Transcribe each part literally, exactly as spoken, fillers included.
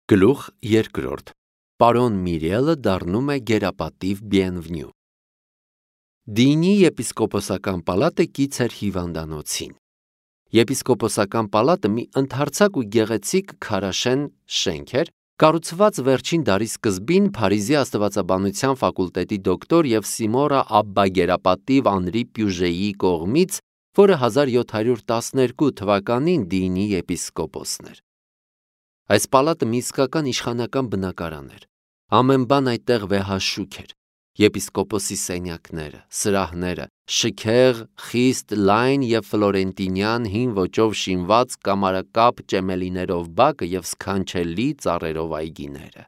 Գլուխ երկրորդ. Պարոն Միրիելը դառնում է գերապատիվ Bienvenue։ Դինի եպիսկոպոսական պալատը կից էր հիվանդանոցին։ Եպիսկոպոսական պալատը մի ընդարձակ ու գեղեցիկ քարաշեն շենք էր, կառուցված վերջին դարի սկզբին Փարիզի աստվածաբանության ֆակուլտետի դոկտոր և Սիմորա Աբբա գերապատիվ Անրի Պյուժեի կողմից, որը հազար յոթ հարյուր տասներկու թվականին Դինի եպիսկոպոսն էր։ Այս պալատը մի իսկական իշխանական բնակարան էր։ Ամեն բան այդտեղ վեհաշուք էր։ Եպիսկոպոսի սենյակները, սրահները, շքեղ, խիստ լայն և ֆլորենտինյան հին ոճով շինված կամարակապ ճեմելիներով բակը և սքանչելի ծառերով այգիները։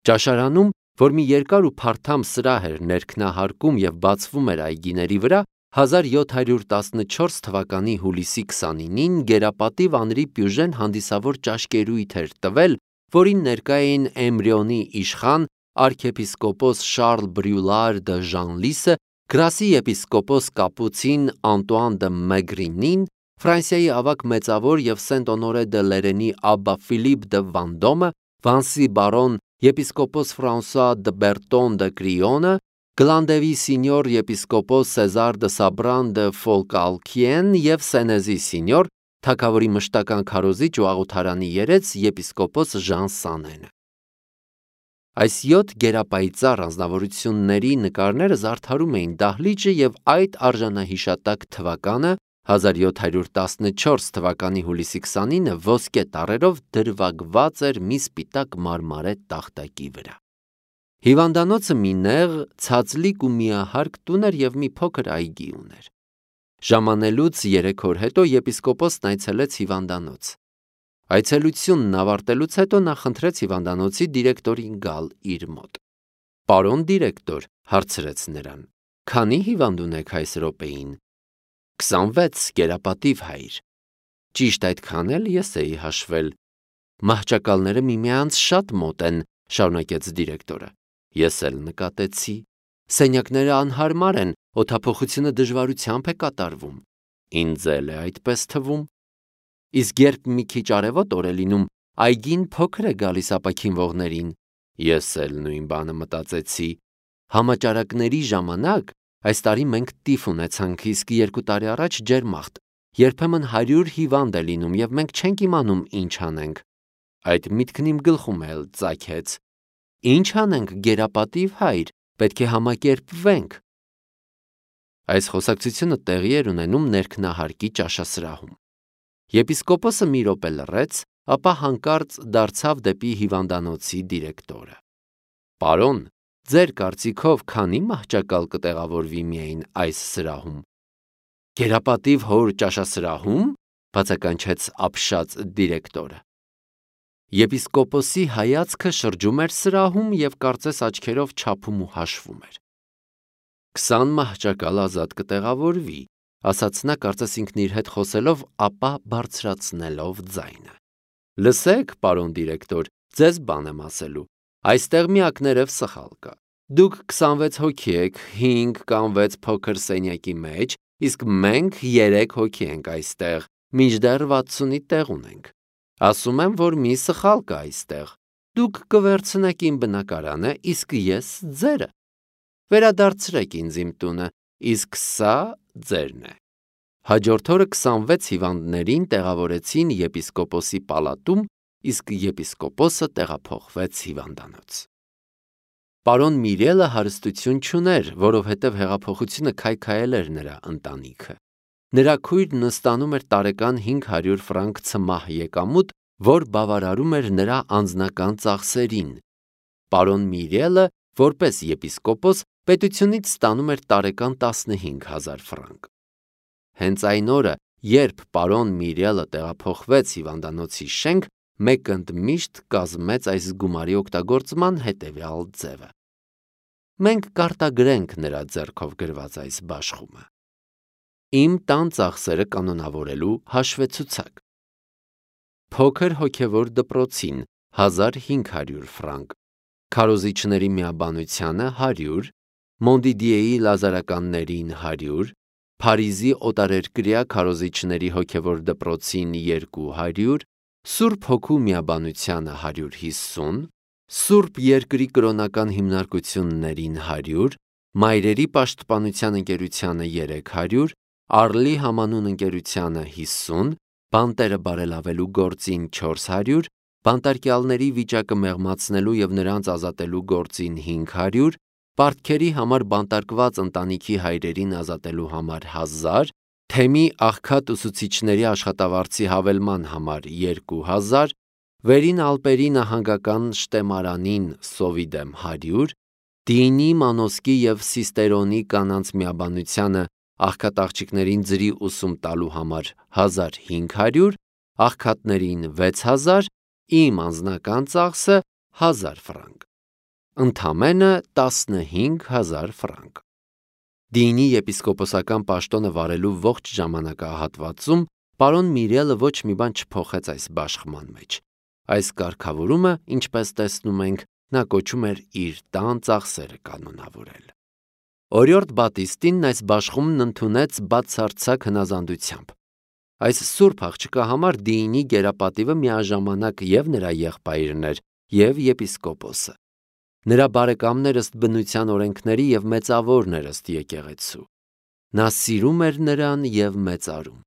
Ճաշարանում, որ մի երկար ու փարթամ սրահ էր ներքնահարկում և բացվում էր այգիների վրա, հազար յոթ հարյուր տասնչորս թվականի հուլիսի քսանինին գերապատիվ Անրի Պյուժեն հանդիսավոր ճաշկերույթ էր տվել, որին ներկա էին Էմրիոնի իշխան արքեպիսկոպոս Շարլ Բրյուլար դը Ժանլիսը, Գրասի եպիսկոպոս կապուցին Անտուան դը Մեգրինին, Ֆրանսիայի ավագ մեծավոր և Սենտ Օնորե դը Լերենի Աբբա Ֆիլիպ դը Վանդոմը, Վանսի բարոն եպիսկոպոս Ֆրանսուଆ դը Բերտոն դը Կրիոնը, Գլանդևի սինյոր եպիսկոպոս Սեզար դը Սաբրան դը Ֆոլկալքիեն և Սենեզի սինյոր, թագավորի մշտական քարոզիչ ու աղոթարանի երեց եպիսկոպոս Ժան Սանենը։ Այս յոթ գերապայծառ անձնավորությունների նկարները զարդարում էին դահլիճը և այդ արժանահիշատակ թվականը հազար յոթ հարյուր տասնչորս թվականի հուլիսի քսանինը ոսկե տառերով դրվագված էր մի սպիտակ մարմարե տախտակի վրա։ Հիվանդանոցը մի նեղ, ցածլիկ ու միահարկ տուն էր և մի փոքր այգի ուներ։ Ժամանելուց երեք օր հետո եպիսկոպոսն այցելեց հիվանդանոց։ Այցելությունն ավարտելուց հետո նա խնդրեց հիվանդանոցի դիրեկտորին գալ իր մոտ։ Պարոն դիրեկտոր, հարցրեց նրան, քանի հիվանդ ունեք այս րոպեին։ Քսանվեց, գերապատիվ հայր։ Ճիշտ այդքան էլ ես էի հաշվել։ Մահճակալները միմյանց շատ մոտ են, շարունակեց դիրեկտորը։ Ես էլ նկատեցի։ Սենյակները անհարմար են, օդափոխությունը դժվարությամբ է կատարվում։ Ինձ էլ է այդպես թվում։ Իսկ երբ մի քիչ արևոտ օր է լինում, այգին փոքր է գալիս ապաքինվողներին։ Ես էլ նույն բանը մտածեցի։ Համաճարակների ժամանակ այս տարի մենք տիֆ ունեցանք, իսկ երկու տարի առաջ ջերմախտ։ Երբեմն հարյուր հիվանդ է լինում և մենք չենք իմանում ինչ անենք։ Այդ միտքն իմ գլխում էլ ծագեց։ Ինչ անենք, գերապատիվ հայր, պետք է համակերպվենք։ Այս խոսակցությունը տեղի էր ունենում ներքնահարկի ճաշասրահում։ Եպիսկոպոսը մի րոպե լռեց, ապա հանկարծ դարձավ դեպի հիվանդանոցի դիրեկտորը։ Պարոն, ձեր կարծիքով քանի մահճակալ կտեղավորվի միայն այս սրահում։ Գերապատիվ հոր ճաշասրահում, բացականչեց ապշած դիրեկտորը։ Եպիսկոպոսի հայացքը շրջում էր սրահում և կարծես աչքերով չափում ու հաշվում էր։ Քսան մահճակալ ազատ կտեղավորվի, ասաց նա կարծես ինքն իր հետ խոսելով, ապա բարձրացնելով ձայնը։ Լսեք, պարոն դիրեկտոր, ձեզ բան եմ ասելու։ Այստեղ միակներև սխալ կա։ Դուք քսանվեց հոգի եք, հինգ կամ վեց փոքր սենյակի մեջ, իսկ մենք երեք հոգի ենք այստեղ, մինչդեռ վաթսունի տեղ ունենք։ Ասում եմ, որ մի սխալ կա այստեղ։ Դուք կվերցնեք իմ բնակարանը, իսկ ես ձերը։ Վերադարձրեք ինձ իմ տունը, իսկ սա ձերն է։ Հաջորդ օրը քսանվեց հիվանդներին տեղավորեցին եպիսկոպոսի պալատում, իսկ եպիսկոպոսը տեղափոխվեց հիվանդանոց։ Պարոն Միրիելը հարստություն չուներ, որովհետև հեղափոխությունը քայքայել էր նրա ընտանիքը։ Նրա քույրն ստանում էր տարեկան հինգ հարյուր ֆրանկ ցմահ եկամուտ, որ բավարարում էր նրա անձնական ծախսերին։ Պարոն Միրիելը, որպես եպիսկոպոս, պետությունից ստանում էր տարեկան տասնհինգ հազար ֆրանկ։ Հենց այն օրը, երբ պարոն Միրիելը տեղափոխվեց հիվանդանոցի շենք, մեկ ընդմիշտ կազմեց այս գումարի օգտագործման հետևյալ ձևը։ Մենք կարտագրենք նրա ձեռքով գրված այս բաշխումը։ Իմ տան ծախսերը կանոնավորելու հաշվեցուցակ։ Փոքր հոգևոր դպրոցին հազար հինգ հարյուր ֆրանկ, քարոզիչների միաբանությանը հարյուր, Մոնդիդիեի լազարականներին հարյուր, Փարիզի օտարերկրյա քարոզիչների հոգևոր դպրոցին երկու հարյուր, Սուրբ Հոգու միաբանությանը հարյուր հիսուն, Սուրբ Երկրի կրոնական հիմնարկություններին հարյուր, Մայրերի պաշտպանության ընկերությանը երեք հարյուր, Արլի համանուն ընկերությանը հիսուն, Բանտերը բարելավելու գործին չորս հարյուր, Բանտարկյալների վիճակը մեղմացնելու և նրանց ազատելու գործին հինգ հարյուր, Պարտքերի համար բանտարկված ընտանիքի հայրերին ազատելու համար հազար, Թեմի աղքատ ուսուցիչների աշխատավարձի հավելման համար երկու հազար, Վերին Ալպերի նահանգական շտեմարանին սովի դեմ հարյուր, Դինի, Մանոսկի և Սիստերոնի կանանց միաբանությանը աղքատաղջիկներին ձրի ուսում տալու համար հազար հինգ հարյուր, աղքատներին վեց հազար, իմ անձնական ծախսը հազար ֆրանկ, ընդամենը տասնհինգ հազար ֆրանկ։ Դինի եպիսկոպոսական պաշտոնը վարելու ողջ ժամանակահատվածում պարոն Միրելը ոչ մի բան չփոխեց այս բաշխման մեջ։ Այս կարգավորումը, ինչպես տեսնում ենք, նա կոչում էր իր տան ծախսերը կանոնավորել։ Օրիորդ Բատիստին այս բաշխումն ընդունեց բացարձակ հնազանդությամբ։ Այս սուրբ աղջկա համար Դինի գերապատիվը միաժամանակ և նրա եղբայրն էր, և եպիսկոպոսը։ Նրա բարեկամներ ըստ բնության օրենքների և մեծավորներ ըստ եկեղեցու։ Նա սիրում էր նրան և մեծարում։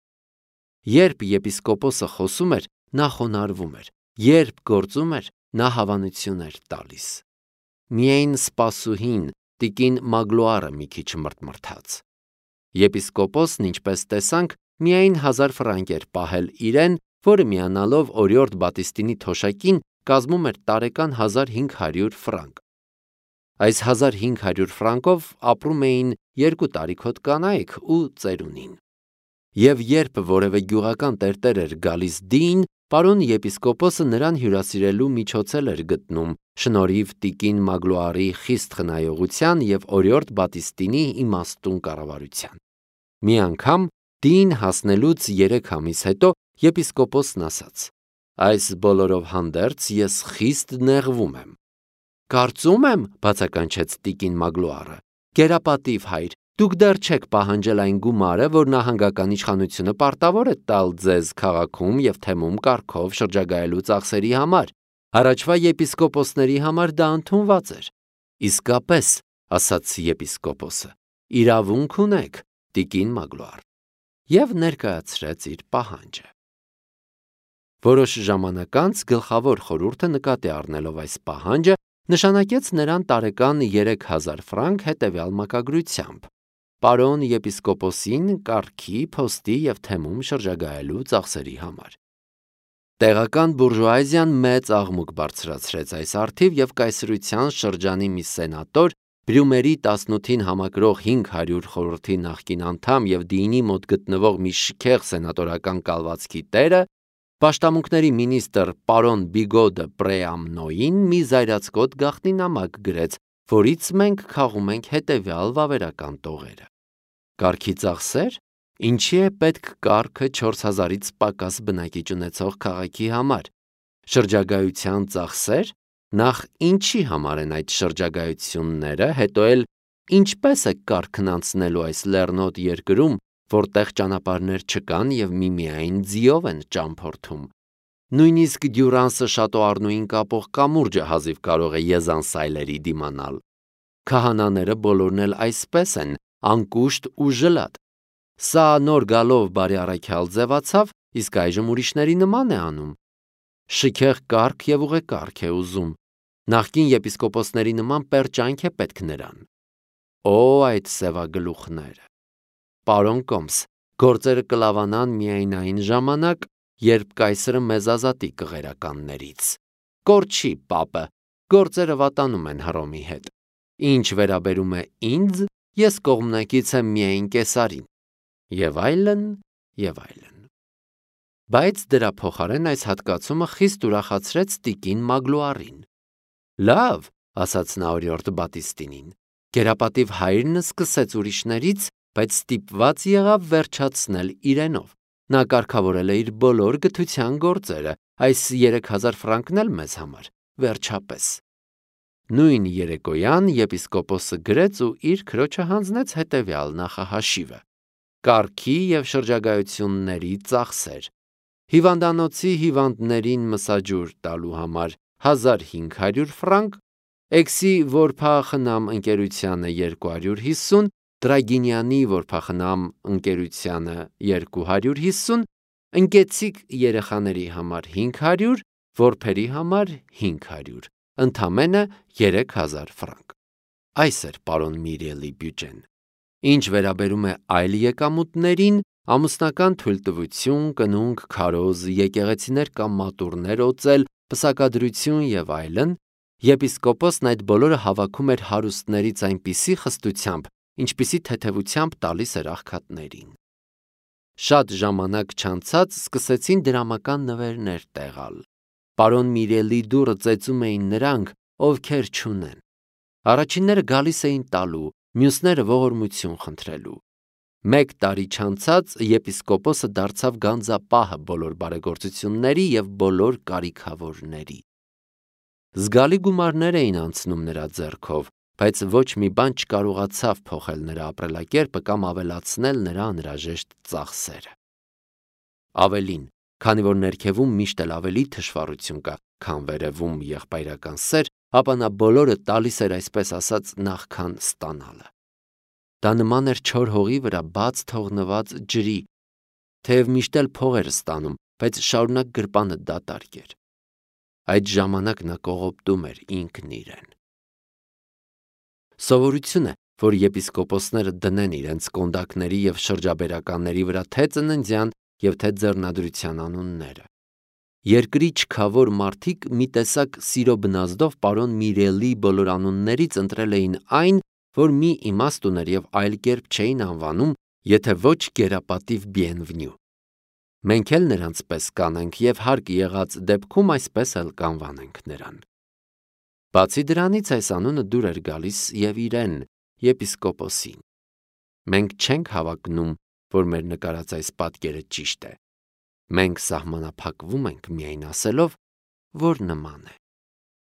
Երբ եպիսկոպոսը խոսում էր, նա խոնարհվում էր, երբ գործում էր, նա հավանություն էր տալիս։ Միայն սպասուհին, տիկին Մագլոարը մի քիչ մրթմրթաց։ Եպիսկոպոսն, ինչպես տեսանք, միայն հազար ֆրանկ էր պահել իրեն, որը միանալով օրիորդ Բատիստինի թոշակին կազմում էր տարեկան հազար հինգ հարյուր ֆրանկ։ Այս հազար հինգ հարյուր ֆրանկով ապրում էին երկու տարիքոտ կանայք ու ծերունին։ Եվ երբ որևէ գյուղական տերտեր էր գալիս Դին, պարոն եպիսկոպոսը նրան հյուրասիրելու միջոցել էր գտնում, շնորհիվ տիկին Մագլոարի խիստ խնայողության և օրիորդ Բատիստինի իմաստուն կառավարության։ Մի անգամ Դին հասնելուց երեք ամիս հետո եպիսկոպոսն ասաց. «Այս բոլորով հանդերձ ես խիստ նեղվում եմ»։ «Կարծում եմ, բացականչեց տիկին Մագլոարը, գերապատիվ հայր, դուք դեռ չեք պահանջել այն գումարը, որ նահանգական իշխանությունը պարտավոր է տալ ձեզ քաղաքում և թեմում կարգով շրջագայելու ծախսերի համար։ Առաջվա եպիսկոպոսների համար դա ընդունված էր»։ «Իսկապես, ասաց եպիսկոպոսը, իրավունք ունեք, տիկին Մագլոար», և ներկայացրեց իր պահանջը։ Որոշ ժամանակ անց գլխավոր խորհուրդը նկատի առնելով այս պահանջը, նշանակեց նրան տարեկան երեք հազար ֆրանկ հետևյալ մակագրությամբ. պարոն եպիսկոպոսին կարգի, փոստի և թեմում շրջագայելու ծախսերի համար։ Տեղական բուրժուազիան մեծ աղմուկ բարձրացրեց այս առթիվ և կայսրության շրջանի մի սենատոր, Բրյումերի տասնութին համակրող հինգ հարյուր խորհրդի նախկին անդամ և Դինի մոտ գտնվող մի շքեղ սենատորական կալվածքի տերը, պաշտամունքների մինիստր պարոն Բիգո դը Պրեամնոյին մի զայրացկոտ գաղտնի նամակ գրեց, որից մենք քաղում ենք հետևյալ վավերական տողերը. Կարգի ծախսեր, ինչի է պետք կարգը չորս հազարից պակաս բնակիչ ունեցող քաղաքի համար, շրջագայության ծախսեր, նախ ինչի համար են այդ շրջագայությունները, հետո էլ ինչպես է կարգն անցնելու այս լեռնոտ երկրում, որտեղ ճանապարհներ չկան և միմիայն ձիով են ճամփորդում։ Նույնիսկ Դյուրանսը շատոառնուին կապող կամուրջը հազիվ կարող է եզանսայլերի դիմանալ։ Քահանաները բոլորն էլ այսպես են, անկուշտ ու ժլատ։ Սա նոր գալով բարի առաքյալ ձևացավ, իսկ այժմ ուրիշների նման է անում։ Շքեղ կարգ և ուղեկարգ է ուզում։ Նախկին եպիսկոպոսների նման պերճանք է պետք նրան։ Օ, այդ սևագլուխները։ Պարոն Կոմս, գործերը կլավանան միայն այն ժամանակ, երբ կայսրը մեզ ազատի կղերականներից։ Կորչի պապը, գործերը վատանում են Հռոմի հետ։ Ինչ վերաբերում է ինձ, ես կողմնակից եմ միայն Կեսարին։ Եվ այլն, և այլն։ Բայց դրա փոխարեն այս հատկացումը խիստ ուրախացրեց տիկին Մագլոարին։ Լավ, ասաց նա օրիորդ Բատիստինին, գերապատիվ հայրն սկսեց ուրիշներից, բայց ստիպված եղավ վերջացնել իրենով։ Նա կարգավորել է իր բոլոր գթության գործերը, այս երեք հազար ֆրանկն էլ մեզ համար, վերջապես։ Նույն երեկոյան եպիսկոպոսը գրեց ու իր քրոջը հանձնեց հետևյալ նախահաշիվը. կարգի և շրջագայությունների ծախսեր, հիվանդանոցի հիվանդներին մսաջուր տալու համար հազար հինգ հարյուր ֆրանկ, Էքսի որբախնամ ընկերությանը երկու հարյուր հիսուն, Տրագինյանի որբախնամ ընկերությանը երկու հարյուր հիսուն, ընկեցիկ երեխաների համար հինգ հարյուր, որբերի համար հինգ հարյուր, ընդամենը երեք հազար ֆրանկ։ Այս էր պարոն Միրիելի բյուջեն։ Ինչ վերաբերում է այլ եկամուտներին, ամուսնական թույլտվություն, կնունկ, քարոզ, եկեղեցիներ կամ մատուռներ օծել, պսակադրություն եւ այլն, եպիսկոպոսն այդ բոլորը հավաքում էր հարուստներից այնպիսի խստությամբ, ինչպիսի թեթևությամբ տալիս էր աղքատներին։ Շատ ժամանակ չանցած սկսեցին դրամական նվերներ տեղալ։ Պարոն Միրիելի դուռը ծեծում էին նրանք, ովքեր չունեն։ Առաջինները գալիս էին տալու, մյուսները ողորմություն խնդրելու։ Մեկ տարի չանցած եպիսկոպոսը դարձավ գանձապահը բոլոր բարեգործությունների եւ բոլոր կարիքավորների։ Զգալի գումարներ էին անցնում նրա ձեռքով, բայց ոչ մի բան չկարողացավ փոխել նրա ապրելակերպը կամ ավելացնել նրա անհրաժեշտ ծախսերը։ Ավելին, քանի որ ներքևում միշտ էլ ավելի թշվառություն կա, քան վերևում եղբայրական սեր, ապա նա բոլորը տալիս էր այսպես ասած նախքան ստանալը։ Դա նման էր չոր հողի վրա բաց թողնված ջրի, թեև միշտ էլ փող էր ստանում, բայց շարունակ գրպանը դատարկ էր։ Այդ ժամանակ նա կողոպտում էր ինքն իրեն։ Սովորություն է, որ եպիսկոպոսները դնեն իրենց կոնդակների եւ շրջաբերականների վրա թե ծննդյան եւ թե ձեռնադրության անունները։ Երկրի չքավոր մարդիկ մի տեսակ սիրո բնազդով պարոն Միրիելի բոլոր անուններից ընտրել էին այն, որ մի իմաստ ուներ եւ այլ կերպ չէին անվանում, եթե ոչ գերապատիվ Բիենվնյու։ Մենք էլ նրանց պես կանենք եւ հարկ եղած դեպքում այսպես էլ կանվանենք նրան։ Բացի դրանից այս անունը դուր էր գալիս եւ իրեն, եպիսկոպոսին։ Մենք չենք հավակնում, որ մեր նկարած այս պատկերը ճիշտ է։ Մենք սահմանափակվում ենք միայն ասելով, որ նման է։